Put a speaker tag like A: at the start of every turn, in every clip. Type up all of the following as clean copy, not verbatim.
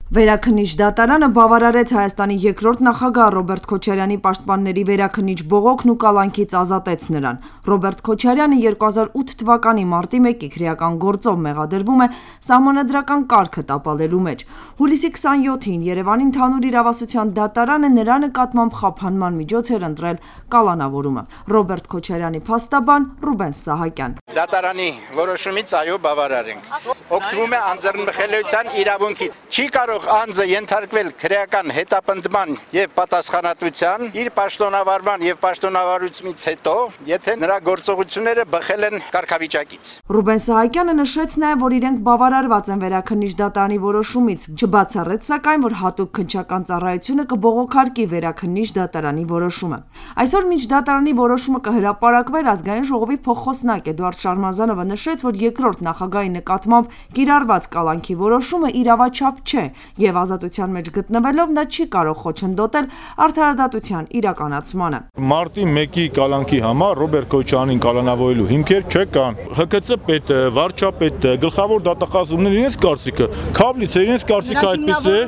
A: Վերաքննիչ դատարանը բավարարեց Հայաստանի երկրորդ նախագահ Ռոբերտ Քոչարյանի պաշտպանների վերաքննիչ բողոքն ու կալանքից ազատեց նրան։ Ռոբերտ Քոչարյանը 2008 թվականի մարտի 1-ի քրեական գործով մեղադրվում է սահմանադրական կարգը տապալելու մեջ։ Հուլիսի 27-ին Երևանի ընդհանուր իրավասության դատարանը նրա նկատմամբ խափանման միջոց էր ընտրել կալանավորումը։ Ռոբերտ Քոչարյանի փաստաբան Ռուբեն Սահակյան.
B: Դատարանի որոշումից այո բավարար ենք։ Օգտվում է անձեռնմխելիության իրավունքից։ Չի կարող անձը ենթարկվել քրեական հետապնդման եւ պատասխանատվության իր պաշտոնավարման եւ պաշտոնավարությունից հետո, եթե նրա գործողությունները բխել են կարգավիճակից։
A: Ռուբեն Սահակյանը նշեց նաեւ, որ իրենք բավարարված են վերաքննիչ դատարանի որոշումից, չբացառեց սակայն, որ հատուկ քննչական ծառայությունը կբողոքարկի վերաքննիչ դատարանի որոշումը։ Այսօր մինչ դատարանի որոշումը կհրապարակվեր, ազգային ժողովի փոխխոսնակ Էդուարդ Շարմազանովը նշեց, որ երկրորդ նախագահի նկատմամբ կիրառված կալանքի որոշումը իրավաչափ չէ եւ ազատության մեջ գտնվելով նա չի կարող խոչընդոտել արդարադատության իրականացմանը։
C: Մարտի 1-ի կալանքի համար Ռոբերտ Քոչարյանին կալանավորելու հիմքեր չկան։ ՀԿՑ պետը, վարչապետը, գլխավոր դատախազումները իրենց կարծիքը, Քավլիցը իրենց կարծիքը այդպես է,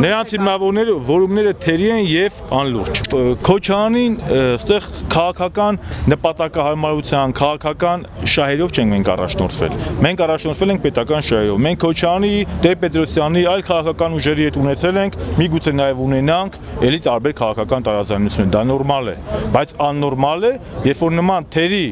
C: նրանց հիմնավորները որումները թերի են եւ անլուրջ։ Քոչարյանին այստեղ քաղաքական նպատակահարմարության, քաղաքական շահերով չենք մենք առաջնորդվել։ Մենք առաջնորդվել ենք պետական շահերով։ Մենք Քոչարյանի, Տեր-Պետրոսյանի, այլ քաղաքական ուժերի հետ ունեցել ենք, միգուցե նաև ունենանք էլի տարբեր քաղաքական տարաձայնություններ, դա նորմալ է, բայց աննորմալ է, երբ որ նման թերի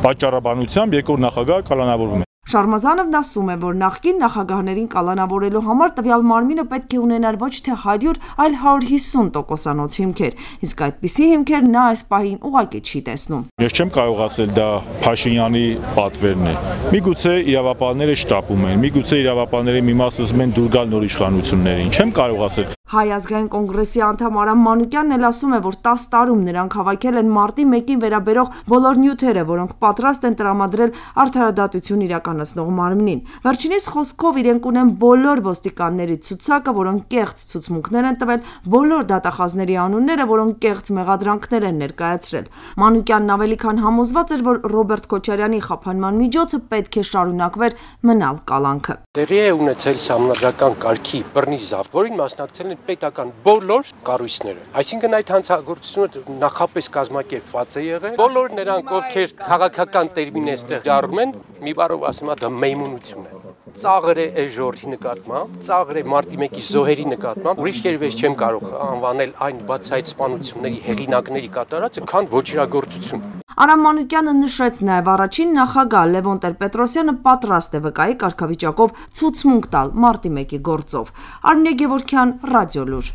C: պատճառաբանությամբ երկրորդ նախագահը կալանավորվում է։
A: Շարմազանովն ասում է, որ նախկին նախագահներին կալանավորելու համար տվյալ մարմինը պետք է ունենար ոչ թե 100, այլ 150% հիմքեր, իսկ այդպիսի հիմքեր նա այս պահին ուղղակի չի տեսնում։
C: Ես չեմ կարող ասել դա Փաշինյանի պատվերն է։ Միգուցե իրավապահները շտապում են, միգուցե իրավապահների մի մասը ուզում են դուր գալ նոր իշխանություններին, չեմ կարող ասել։
A: Հայ ազգային կոնգրեսի անդամ Արամ Մանուկյանն էլ ասում է, որ 10 տարում նրանք հավաքել են մարտի 1-ին վերաբերող բոլոր նյութերը, որոնք պատրաստ են տրամադրել արդարադատություն իրականացնող մարմնին։ Վերջինիս խոսքով իրենք ունեն բոլոր ոստիկանների ցուցակը, որոնք կեղծ ցուցմունքներ են տվել, բոլոր դատախազների անունները, որոնք կեղծ մեղադրանքներ են ներկայացրել։ Մանուկյանն ավելի քան համոզված էր, որ Ռոբերտ Քոչարյանի խափանման միջոցը պետք է շարունակվեր մնալ կալանքը։
D: Տեղի է ունեցել սահմանադրական կարգի բռնիզավ, որին մասնակցել են պետական բոլոր կառույցները։ Այսինքն այդ հանցագործությունը նախապես կազմակերպված է եղել։ Բոլոր նրանք, ովքեր քաղաքական տերմին այստեղ դառնում են, մի բառով ասեմ, դա մեյմունություն է։ Ծաղր է ժողովրդի նկատմամբ, ծաղր է մարտի 1-ի զոհերի նկատմամբ, ուրիշ երևես չեմ կարող անվանել այն բացահայտ սպանությունների հեղինակների կատարածը, քան ոչիրագործություն։
A: Արամ Մանուկյանը նշեց նաև առաջին նախագահ Լևոն Տեր-Պետրոսյանը պատրաստ է վկայի կարգավիճակով ցուցմունք տալ մարտի 1-ի գործով։ Արմինե Գևորգյան, Ռադիոլուր։